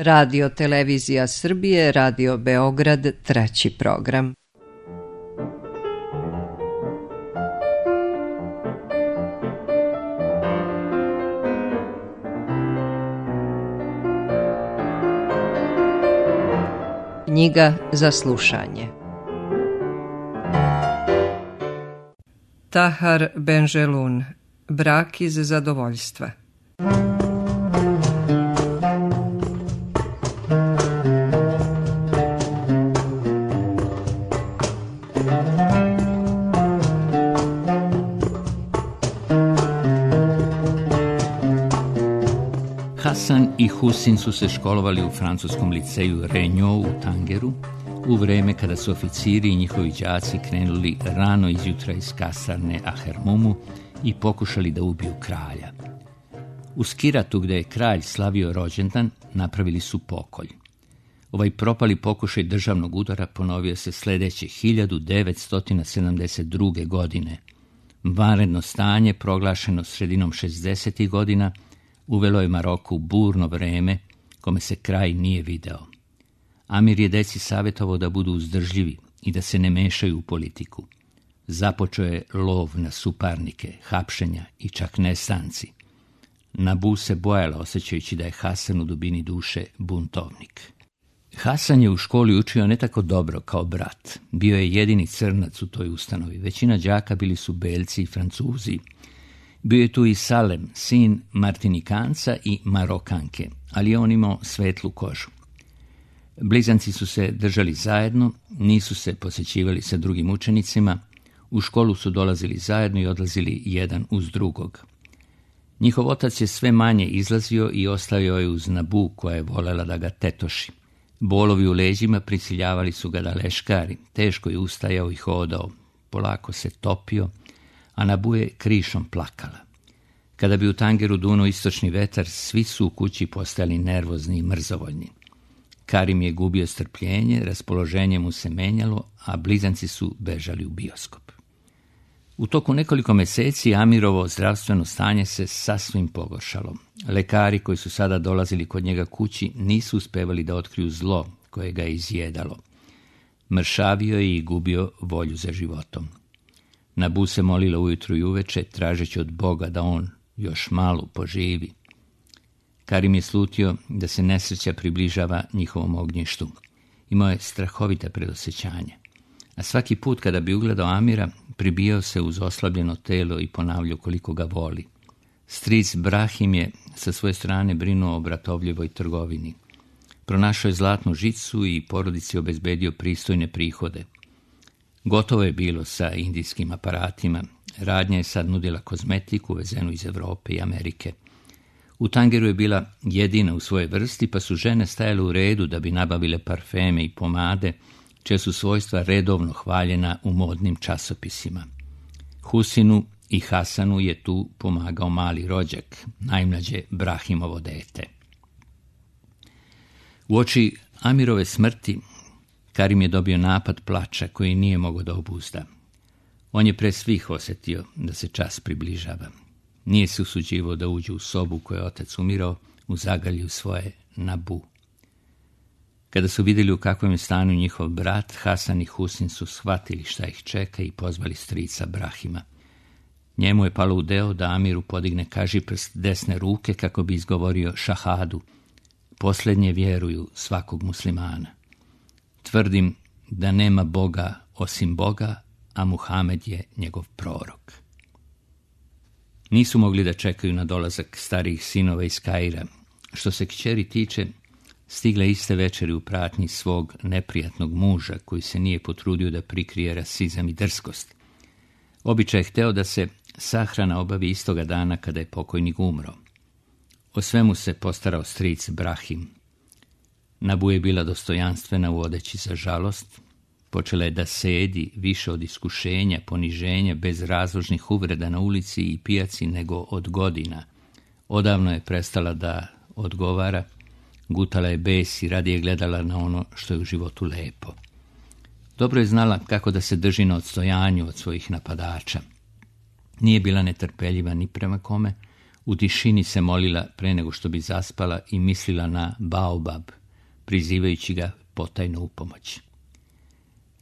Radio Televizija Srbije, Radio Beograd, 3. program. Knjiga za slušanje. Tahar Benjelun, Brak iz zadovoljstva. Hasan i Husin su se školovali u francuskom liceju Regnault u Tangeru u vreme kada su oficiri i njihovi đaci krenuli rano izjutra iz kasarne Ahermumu i pokušali da ubiju kralja. U Skiratu, gde je kralj slavio rođendan, napravili su pokolj. Ovaj propali pokušaj državnog udara ponovio se sledeće 1972. godine. Vanredno stanje, proglašeno sredinom 60. godina, uvelo je Maroku burno vreme kome se kraj nije video. Amir je deci savjetovao da budu uzdržljivi i da se ne mešaju u politiku. Započeo je lov na suparnike, hapšenja i čak nestanci. Nabu se bojala, osjećajući da je Hasan u dubini duše buntovnik. Hasan je u školi učio ne tako dobro kao brat. Bio je jedini crnac u toj ustanovi. Većina đaka bili su Belci i Francuzi. Bio je tu i Salem, sin Martinikanca i Marokanke, ali je on imao svetlu kožu. Blizanci su se držali zajedno, nisu se posjećivali sa drugim učenicima, u školu su dolazili zajedno i odlazili jedan uz drugog. Njihov otac je sve manje izlazio i ostavio je uz Nabu, koja je volela da ga tetoši. Bolovi u leđima prisiljavali su ga da leškari, teško je ustajao i hodao, polako se topio, a Nabu je krišom plakala. Kada bi u Tangeru dunuo istočni vetar, svi su u kući postajali nervozni i mrzovoljni. Karim je gubio strpljenje, raspoloženje mu se menjalo, a blizanci su bežali u bioskop. U toku nekoliko meseci Amirovo zdravstveno stanje se sasvim pogoršalo. Lekari koji su sada dolazili kod njega kući nisu uspevali da otkriju zlo koje ga je izjedalo. Mršavio je i gubio volju za životom. Nabu se molila ujutru i uveče, tražeći od Boga da on još malo poživi. Karim je slutio da se nesreća približava njihovom ognjištu. Imao je strahovita predosjećanje. A svaki put kada bi ugledao Amira, pribijao se uz oslabljeno telo i ponavljao koliko ga voli. Stric Brahim je sa svoje strane brinuo o bratovljivoj trgovini. Pronašao je zlatnu žicu i porodici obezbedio pristojne prihode. Gotovo je bilo sa indijskim aparatima. Radnja je sad nudila kozmetiku uvezenu iz Evrope i Amerike. U Tangeru je bila jedina u svojoj vrsti, pa su žene stajale u redu da bi nabavile parfeme i pomade, čija su svojstva redovno hvaljena u modnim časopisima. Husinu i Hasanu je tu pomagao mali rođak, najmlađe Brahimovo dete. Uoči Amirove smrti, Karim je dobio napad plača koji nije mogao da obuzda. On je pre svih osjetio da se čas približava. Nije se usuđivao da uđe u sobu koju je otac umirao, u zagalju svoje Nabu. Kada su vidjeli u kakvom je stanju njihov brat, Hasan i Husin su shvatili šta ih čeka i pozvali strica Brahima. Njemu je palo u deo da Amiru podigne kažiprst desne ruke kako bi izgovorio šahadu. Posljednje vjeruju svakog muslimana. Tvrdim da nema Boga osim Boga, a Muhamed je njegov prorok. Nisu mogli da čekaju na dolazak starijih sinova iz Kaira. Što se kćeri tiče, stigla iste večeri u pratnji svog neprijatnog muža, koji se nije potrudio da prikrije rasizam i drskost. Običaj je hteo da se sahrana obavi istoga dana kada je pokojnik umro. O svemu se postarao stric Brahim. Nabu je bila dostojanstvena u odeći za žalost. Počela je da sedi više od iskušenja, poniženja, bez razložnih uvreda na ulici i pijaci nego od godina. Odavno je prestala da odgovara, gutala je bes i radije gledala na ono što je u životu lepo. Dobro je znala kako da se drži na odstojanju od svojih napadača. Nije bila netrpeljiva ni prema kome, U tišini se molila pre nego što bi zaspala i mislila na Baobab, prizivajući ga potajno u pomoć.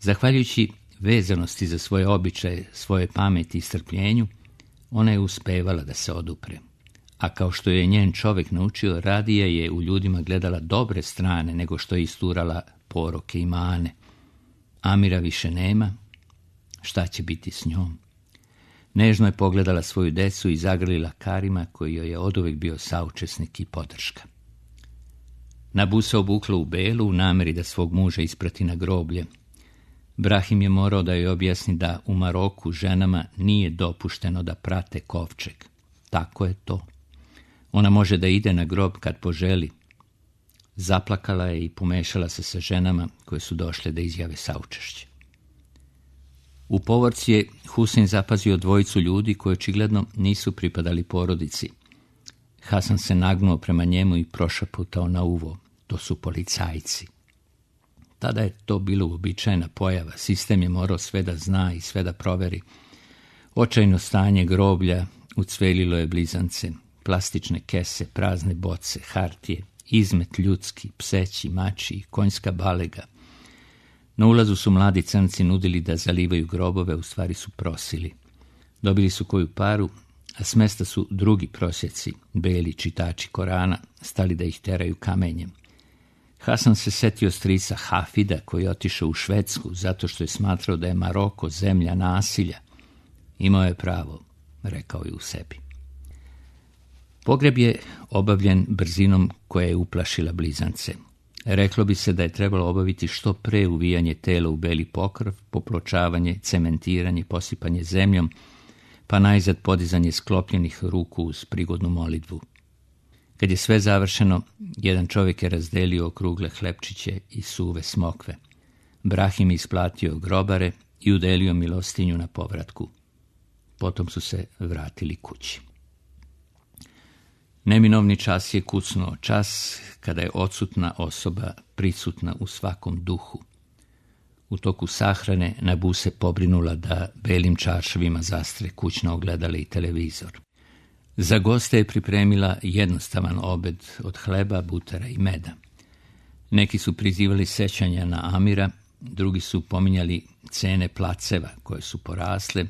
Zahvaljujući vezanosti za svoje običaje, svoje pameti i strpljenju, ona je uspevala da se odupre. A kao što je njen čovjek naučio, radije je u ljudima gledala dobre strane nego što je isturala poroke i mane. Amira više nema, šta će biti s njom? Nežno je pogledala svoju decu i zagrlila Karima, koji joj je oduvek bio saučesnik i podrška. Nabu se obukla u belu u nameri da svog muža isprati na groblje. Brahim je morao da joj objasni da u Maroku ženama nije dopušteno da prate kovčeg. Tako je to. Ona može da ide na grob kad poželi. Zaplakala je i pomešala se sa ženama koje su došle da izjave saučešće. U povorci je Husein zapazio dvojicu ljudi koji očigledno nisu pripadali porodici. Hasan se nagnuo prema njemu i prošaputao na uvo. To su policajci. Tada je to bilo uobičajena pojava. Sistem je morao sve da zna i sve da proveri. Očajno stanje groblja ucvelilo je blizance. Plastične kese, prazne boce, hartije, izmet ljudski, pseći, mačji, konjska balega. Na ulazu su mladi crnci nudili da zalivaju grobove, u stvari su prosili. Dobili su koju paru, a s mesta su drugi prosjeci, beli čitači Korana, stali da ih teraju kamenjem. Hasan se setio strica Hafida, koji je otišao u Švedsku zato što je smatrao da je Maroko zemlja nasilja. Imao je pravo, rekao je u sebi. Pogreb je obavljen brzinom koja je uplašila blizance. Reklo bi se da je trebalo obaviti što pre uvijanje tela u beli pokrov, popločavanje, cementiranje, posipanje zemljom, pa najzad podizanje sklopljenih ruku uz prigodnu molitvu. Kad je sve završeno, jedan čovjek je razdelio okrugle hlebčiće i suve smokve. Brahim isplatio grobare i udelio milostinju na povratku. Potom su se vratili kući. Neminovni čas je kucnuo, čas kada je odsutna osoba prisutna u svakom duhu. U toku sahrane Nabu se pobrinula da belim čaršavima zastre kućna ogledala i televizor. Za goste je pripremila jednostavan obed od hleba, butera i meda. Neki su prizivali sećanja na Amira, drugi su pominjali cene placeva koje su porasle,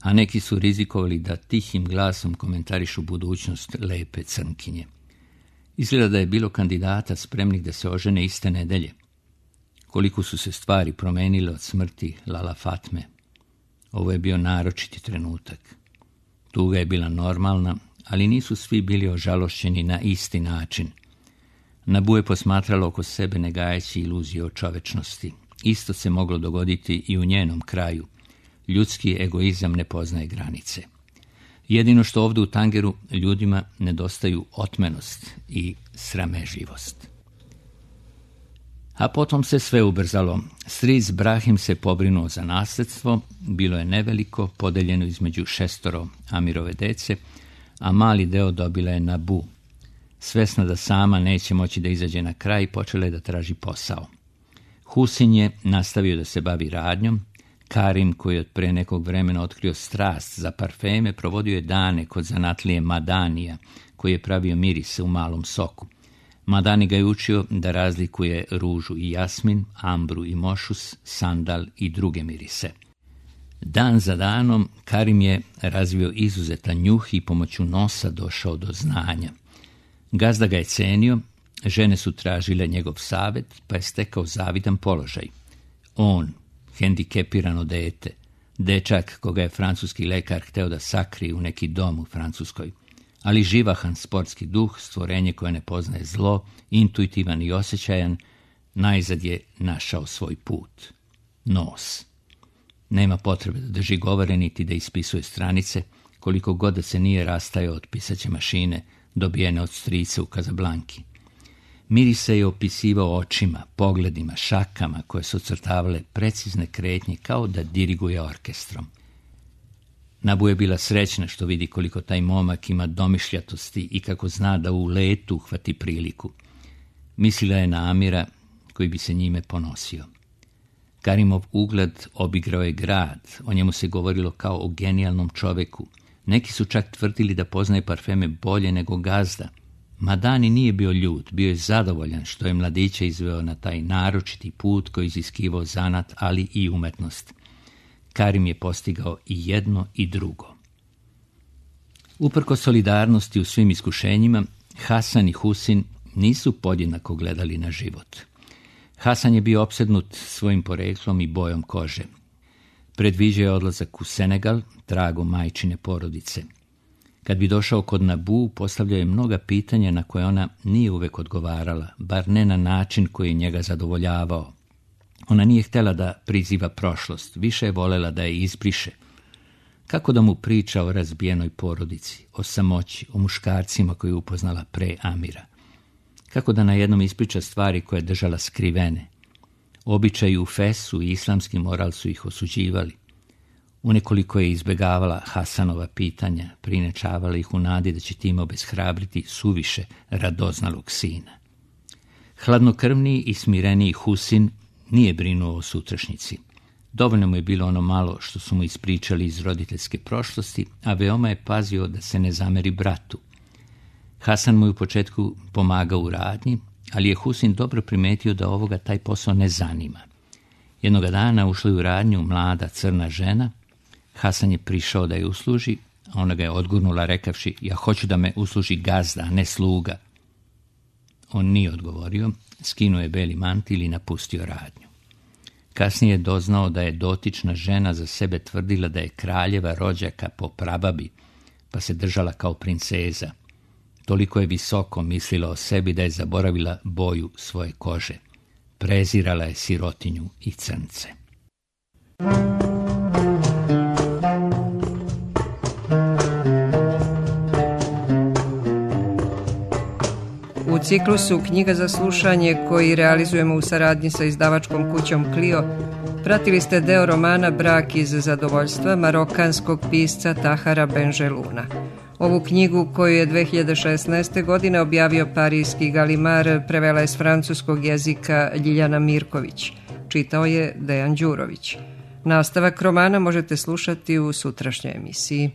a neki su rizikovali da tihim glasom komentarišu budućnost lepe crnkinje. Izgleda da je bilo kandidata spremnih da se ožene iste nedelje. Koliko su se stvari promenile od smrti Lala Fatme. Ovo je bio naročiti trenutak. Tuga je bila normalna, ali nisu svi bili ožalošćeni na isti način. Nabu je posmatrala oko sebe ne gajeći iluzije o čovečnosti. Isto se moglo dogoditi i u njenom kraju. Ljudski egoizam ne poznaje granice. Jedino što ovdje u Tangeru ljudima nedostaju otmenost i sramežljivost. A potom se sve ubrzalo. Stric Brahim se pobrinuo za nasljedstvo, bilo je neveliko, podeljeno između 6 Amirove dece, a mali deo dobila je Nabu. Svesna da sama neće moći da izađe na kraj, počela je da traži posao. Husin je nastavio da se bavi radnjom. Karim, koji je od pre nekog vremena otkrio strast za parfeme, provodio je dane kod zanatlije Madanija, koji je pravio mirise u malom soku. Madani ga je učio da razlikuje ružu i jasmin, ambru i mošus, sandal i druge mirise. Dan za danom Karim je razvio izuzetan njuh i pomoću nosa došao do znanja. Gazda ga je cenio, žene su tražile njegov savjet, pa je stekao zavidan položaj. On, hendikepirano dete, dečak koga je francuski lekar hteo da sakrije u neki dom u Francuskoj, ali živahan sportski duh, stvorenje koje ne poznaje zlo, intuitivan i osjećajan, najzad je našao svoj put. Nos. Nema potrebe da drži govore niti da ispisuje stranice, koliko god da se nije rastajao od pisaće mašine dobijene od strice u Kazablanki. Mirise je opisivao očima, pogledima, šakama koje su ocrtavale precizne kretnje kao da diriguje orkestrom. Nabu je bila srećna što vidi koliko taj momak ima domišljatosti i kako zna da u letu uhvati priliku. Mislila je na Amira koji bi se njime ponosio. Karimov ugled obigrao je grad, o njemu se govorilo kao o genijalnom čoveku. Neki su čak tvrdili da poznaje parfeme bolje nego gazda. Madani nije bio ljut, bio je zadovoljan što je mladića izveo na taj naročiti put koji iziskivao zanat, ali i umetnost. Karim je postigao i jedno i drugo. Uprkos solidarnosti u svim iskušenjima, Hasan i Husin nisu podjednako gledali na život. Hasan je bio opsednut svojim poreklom i bojom kože. Predviđao je odlazak u Senegal, tragom majčine porodice. Kad bi došao kod Nabu, postavljao je mnoga pitanja na koje ona nije uvek odgovarala, bar ne na način koji je njega zadovoljavao. Ona nije htjela da priziva prošlost, više je volela da je izbriše. Kako da mu priča o razbijenoj porodici, o samoći, o muškarcima koje je upoznala pre Amira? Kako da na jednom ispriča stvari koje je držala skrivene? Običaji u Fesu i islamski moral su ih osuđivali. Unekoliko je izbegavala Hasanova pitanja, prinečavala ih u nadi da će time obeshrabriti suviše radoznalog sina. Hladnokrvniji i smireniji Husin nije brinuo o sutrašnjici. Dovoljno mu je bilo ono malo što su mu ispričali iz roditeljske prošlosti, a veoma je pazio da se ne zameri bratu. Hasan mu je u početku pomagao u radnji, ali je Husin dobro primetio da ovoga taj posao ne zanima. Jednoga dana ušla je u radnju mlada crna žena. Hasan je prišao da je usluži, a ona ga je odgurnula rekavši: ja hoću da me usluži gazda, a ne sluga. On nije odgovorio, skinuo je beli mantil i napustio radnju. Kasnije je doznao da je dotična žena za sebe tvrdila da je kraljeva rođaka po prababi, pa se držala kao princeza. Toliko je visoko mislila o sebi da je zaboravila boju svoje kože. Prezirala je sirotinju i crnce. U ciklusu Knjiga za slušanje, koji realizujemo u saradnji sa izdavačkom kućom Clio, pratili ste deo romana Brak iz zadovoljstva marokanskog pisca Tahara Benjeluna. Ovu knjigu, koju je 2016. godine objavio parijski Galimar, prevela je s francuskog jezika Ljiljana Mirković. Čitao je Dejan Đurović. Nastavak romana možete slušati u sutrašnjoj emisiji.